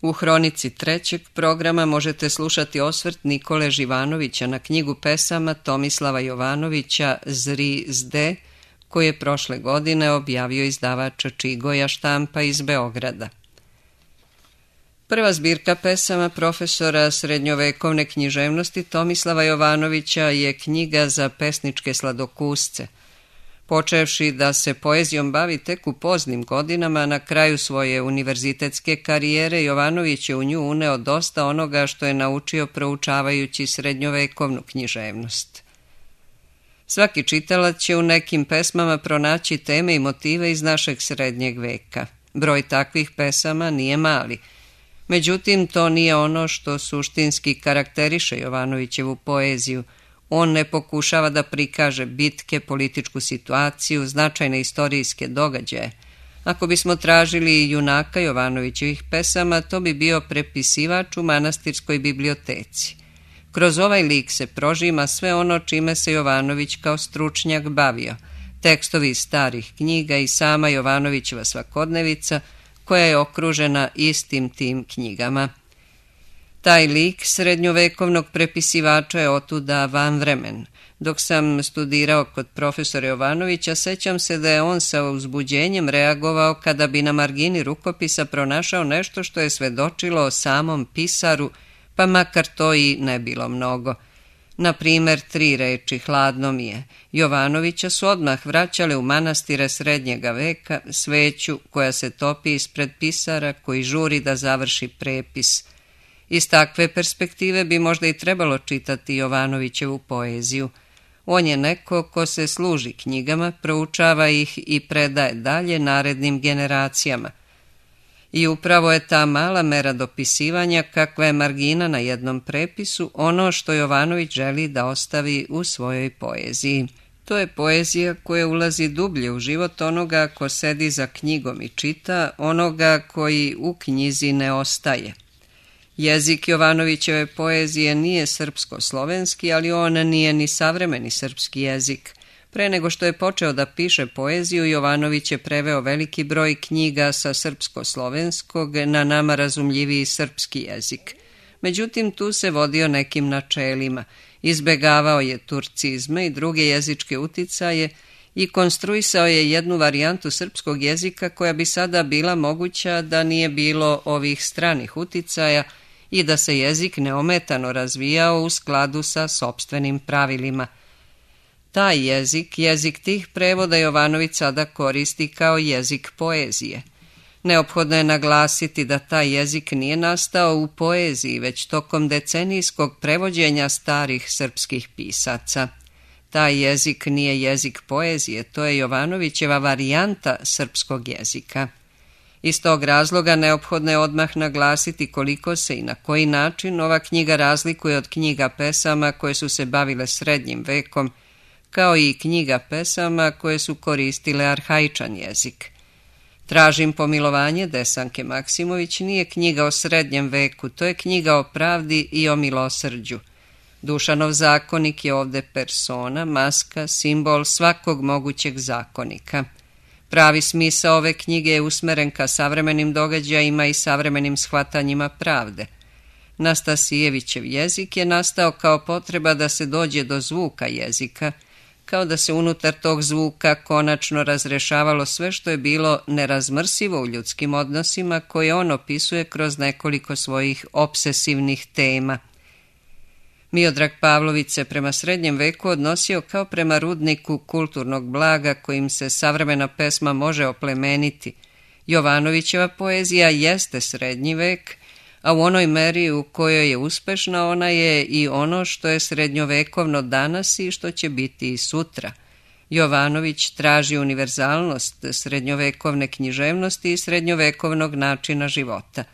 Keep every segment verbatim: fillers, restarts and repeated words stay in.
U hronici trećeg programa možete slušati osvrt Nikole Živanovića na knjigu pesama Tomislava Jovanovića Zri zde, koji je prošle godine objavio izdavač Čigoja štampa iz Beograda. Prva zbirka pesama profesora srednjovekovne književnosti Tomislava Jovanovića je knjiga za pesničke sladokusce. Počevši da se poezijom bavi tek u poznim godinama, na kraju svoje univerzitetske karijere Jovanović je u nju uneo dosta onoga što je naučio proučavajući srednjovekovnu književnost. Svaki čitalac će u nekim pesmama pronaći teme i motive iz našeg srednjeg veka. Broj takvih pesama nije mali. Međutim, to nije ono što suštinski karakteriše Jovanovićevu poeziju. On ne pokušava da prikaže bitke, političku situaciju, značajne istorijske događaje. Ako bismo tražili junaka Jovanovićevih pesama, to bi bio prepisivač u manastirskoj biblioteci. Kroz ovaj lik se prožima sve ono čime se Jovanović kao stručnjak bavio, tekstovi iz starih knjiga i sama Jovanovićeva svakodnevica, koja je okružena istim tim knjigama. Taj lik srednjovekovnog prepisivača je otuda vanvremen. Dok sam studirao kod profesora Jovanovića, sećam se da je on sa uzbuđenjem reagovao kada bi na margini rukopisa pronašao nešto što je svedočilo o samom pisaru, pa makar to i ne bilo mnogo. Na primer, tri reči hladno mi je Jovanovića su odmah vraćale u manastire srednjega veka, sveću koja se topi ispred pisara koji žuri da završi prepis. Iz takve perspektive bi možda i trebalo čitati Jovanovićevu poeziju. On je neko ko se služi knjigama, proučava ih i predaje dalje narednim generacijama. I upravo je ta mala mera dopisivanja, kakva je margina na jednom prepisu, ono što Jovanović želi da ostavi u svojoj poeziji. To je poezija koja ulazi dublje u život onoga ko sedi za knjigom i čita, onoga koji u knjizi ne ostaje. Jezik Jovanovićeve poezije nije srpsko-slovenski, ali on nije ni savremeni srpski jezik. Pre nego što je počeo da piše poeziju, Jovanović je preveo veliki broj knjiga sa srpsko-slovenskog na nama razumljiviji srpski jezik. Međutim, tu se vodio nekim načelima. Izbegavao je turcizme i druge jezičke uticaje i konstruisao je jednu varijantu srpskog jezika koja bi sada bila moguća da nije bilo ovih stranih uticaja i da se jezik neometano razvijao u skladu sa sopstvenim pravilima. Taj jezik, jezik tih prevoda Jovanović sada koristi kao jezik poezije. Neophodno je naglasiti da taj jezik nije nastao u poeziji, već tokom decenijskog prevođenja starih srpskih pisaca. Taj jezik nije jezik poezije, to je Jovanovićeva varijanta srpskog jezika. Iz tog razloga neophodno je odmah naglasiti koliko se i na koji način ova knjiga razlikuje od knjiga pesama koje su se bavile srednjim vekom, kao i knjiga pesama koje su koristile arhaičan jezik. Tražim pomilovanje Desanke Maksimović nije knjiga o srednjem veku, to je knjiga o pravdi i o milosrđu. Dušanov zakonik je ovde persona, maska, simbol svakog mogućeg zakonika. Pravi smisao ove knjige je usmeren ka savremenim događajima i savremenim shvatanjima pravde. Nastasijevićev jezik je nastao kao potreba da se dođe do zvuka jezika, kao da se unutar tog zvuka konačno razrešavalo sve što je bilo nerazmrsivo u ljudskim odnosima koje on opisuje kroz nekoliko svojih obsesivnih tema. Miodrag Pavlović se prema srednjem veku odnosio kao prema rudniku kulturnog blaga kojim se savremena pesma može oplemeniti. Jovanovićeva poezija jeste srednji vek, a u onoj meri u kojoj je uspešna ona je i ono što je srednjovekovno danas i što će biti i sutra. Jovanović traži univerzalnost srednjovekovne književnosti i srednjovekovnog načina života.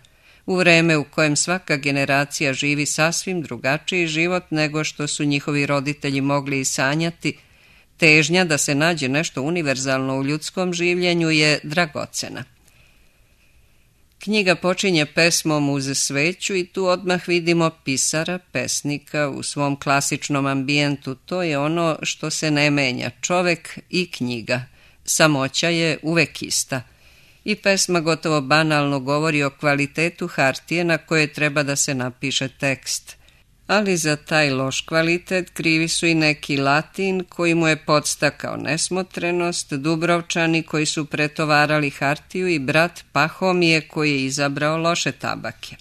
U vreme u kojem svaka generacija živi sasvim drugačiji život nego što su njihovi roditelji mogli i sanjati, težnja da se nađe nešto univerzalno u ljudskom življenju je dragocena. Knjiga počinje pesmom uz sveću i tu odmah vidimo pisara, pesnika u svom klasičnom ambijentu. To je ono što se ne menja, čovek i knjiga. Samoća je uvek ista. I pesma gotovo banalno govori o kvalitetu hartije na koje treba da se napiše tekst. Ali za taj loš kvalitet krivi su i neki Latin koji mu je podstakao nesmotrenost, Dubrovčani koji su pretovarali hartiju i brat Pahomije koji je izabrao loše tabake.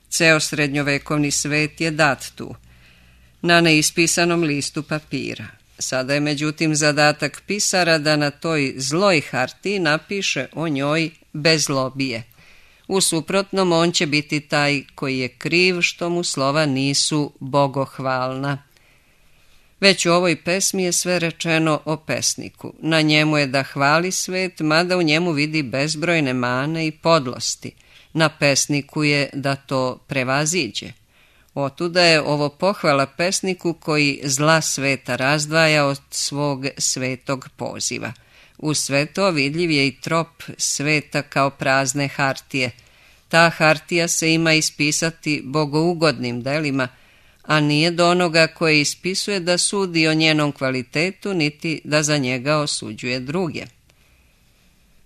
Ceo srednjovekovni svet je dat tu, na neispisanom listu papira. Sada je međutim zadatak pisara da na toj zloj hartiji napiše o njoj bez lobije. U suprotnom on će biti taj koji je kriv što mu slova nisu bogohvalna. Već u ovoj pesmi je sve rečeno o pesniku. Na njemu je da hvali svet, mada u njemu vidi bezbrojne mane i podlosti. Na pesniku je da to prevaziđe. Otuda je ovo pohvala pesniku koji zla sveta razdvaja od svog svetog poziva. Uz sve to vidljiv je i trop sveta kao prazne hartije. Ta hartija se ima ispisati bogougodnim delima, a nije do onoga koje ispisuje da sudi o njenom kvalitetu, niti da za njega osuđuje druge.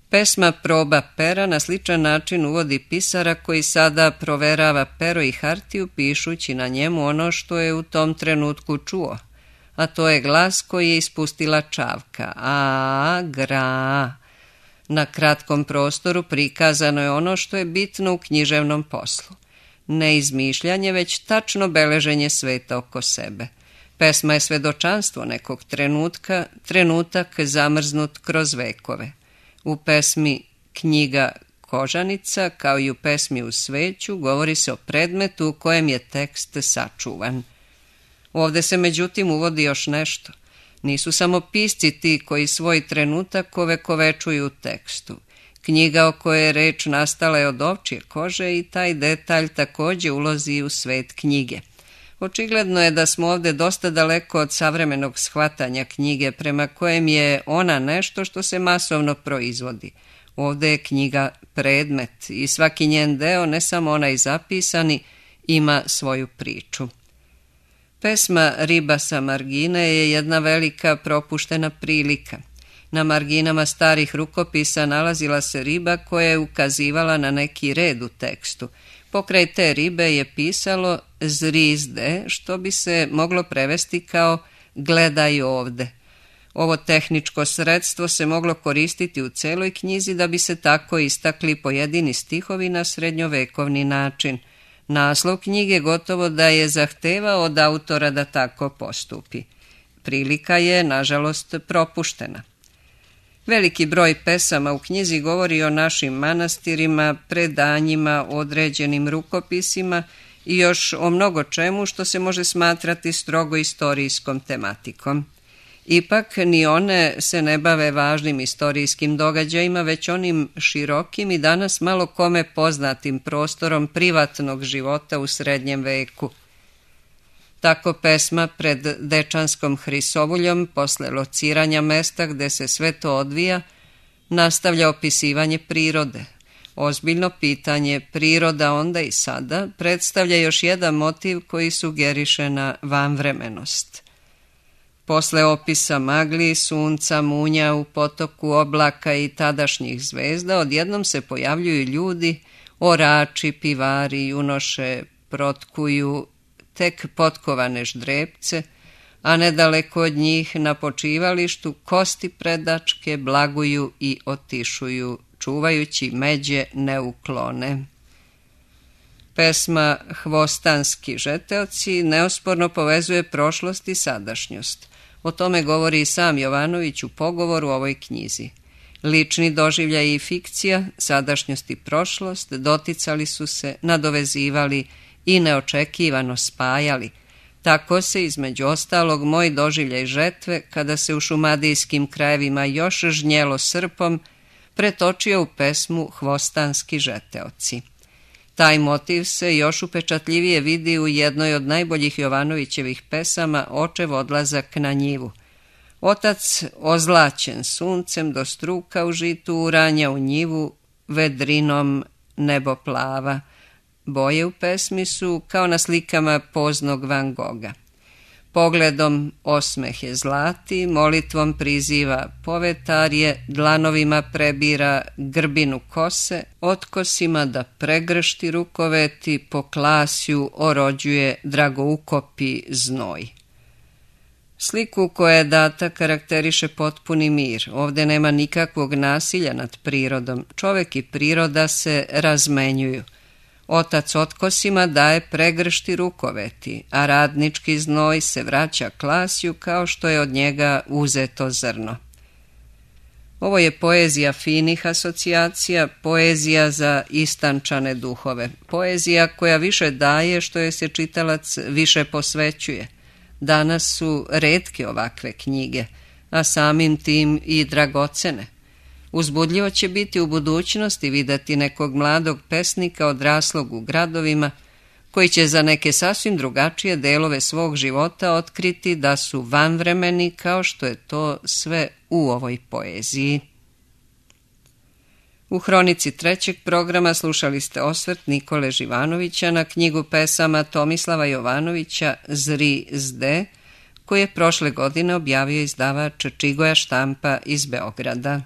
Pesma Proba pera na sličan način uvodi pisara koji sada proverava pero i hartiju pišući na njemu ono što je u tom trenutku čuo, a to je glas koji je ispustila čavka, a, gra. Na kratkom prostoru prikazano je ono što je bitno u književnom poslu. Ne izmišljanje, već tačno beleženje sveta oko sebe. Pesma je svedočanstvo nekog trenutka, trenutak zamrznut kroz vekove. U pesmi Knjiga Kožanica, kao i u pesmi U sveću, govori se o predmetu u kojem je tekst sačuvan. Ovde se međutim uvodi još nešto. Nisu samo pisci ti koji svoj trenutak ovekovečuju u tekstu. Knjiga o kojoj je reč nastala je od ovčje kože i taj detalj takođe ulazi u svet knjige. Očigledno je da smo ovde dosta daleko od savremenog shvatanja knjige prema kojem je ona nešto što se masovno proizvodi. Ovde je knjiga predmet i svaki njen deo, ne samo onaj zapisani, ima svoju priču. Pesma Riba sa margine je jedna velika propuštena prilika. Na marginama starih rukopisa nalazila se riba koja je ukazivala na neki red u tekstu. Pokraj te ribe je pisalo zrizde, što bi se moglo prevesti kao gledaj ovde. Ovo tehničko sredstvo se moglo koristiti u celoj knjizi da bi se tako istakli pojedini stihovi na srednjovekovni način. Naslov knjige gotovo da je zahtevao od autora da tako postupi. Prilika je, nažalost, propuštena. Veliki broj pesama u knjizi govori o našim manastirima, predanjima, određenim rukopisima i još o mnogo čemu što se može smatrati strogo istorijskom tematikom. Ipak ni one se ne bave važnim istorijskim događajima, već onim širokim i danas malo kome poznatim prostorom privatnog života u srednjem veku. Tako pesma pred Dečanskom hrisovuljom, posle lociranja mesta gde se sve to odvija, nastavlja opisivanje prirode. Ozbiljno pitanje priroda onda i sada predstavlja još jedan motiv koji sugeriše na vanvremenost. Posle opisa magli, sunca, munja u potoku oblaka i tadašnjih zvezda, odjednom se pojavljuju ljudi, orači, pivari, junoše, protkuju tek potkovane ždrebce, a nedaleko od njih na počivalištu kosti predačke blaguju i otišuju, čuvajući međe neuklone. Pesma Hvostanski žeteoci neosporno povezuje prošlost i sadašnjost. O tome govori i sam Jovanović u pogovoru u ovoj knjizi. Lični doživljaj i fikcija, sadašnjost i prošlost doticali su se, nadovezivali i neočekivano spajali. Tako se, između ostalog, moj doživljaj žetve, kada se u šumadijskim krajevima još žnjelo srpom, pretočio u pesmu Hvostanski žeteoci. Taj motiv se još upečatljivije vidi u jednoj od najboljih Jovanovićevih pesama Očev odlazak na njivu. Otac, ozlaćen suncem do struka u žitu, uranja u njivu, vedrinom nebo plava. Boje u pesmi su kao na slikama poznog Van Goga. Pogledom osmeh je zlati, molitvom priziva povetarje, dlanovima prebira grbinu kose, otkosima da pregršti rukoveti, po klasju orođuje dragoukopi znoj. Sliku koja je data karakteriše potpuni mir. Ovdje nema nikakvog nasilja nad prirodom. Čovek i priroda se razmenjuju. Otac otkosima daje pregršti rukoveti, a radnički znoj se vraća klasju kao što je od njega uzeto zrno. Ovo je poezija finih asocijacija, poezija za istančane duhove, poezija koja više daje što je se čitalac više posvećuje. Danas su retke ovakve knjige, a samim tim i dragocene. Uzbudljivo će biti u budućnosti vidjeti nekog mladog pesnika odraslog u gradovima, koji će za neke sasvim drugačije delove svog života otkriti da su vanvremeni kao što je to sve u ovoj poeziji. U hronici trećeg programa slušali ste osvrt Nikole Živanovića na knjigu pesama Tomislava Jovanovića Zri zde, koji je prošle godine objavio izdavač Čigoja štampa iz Beograda.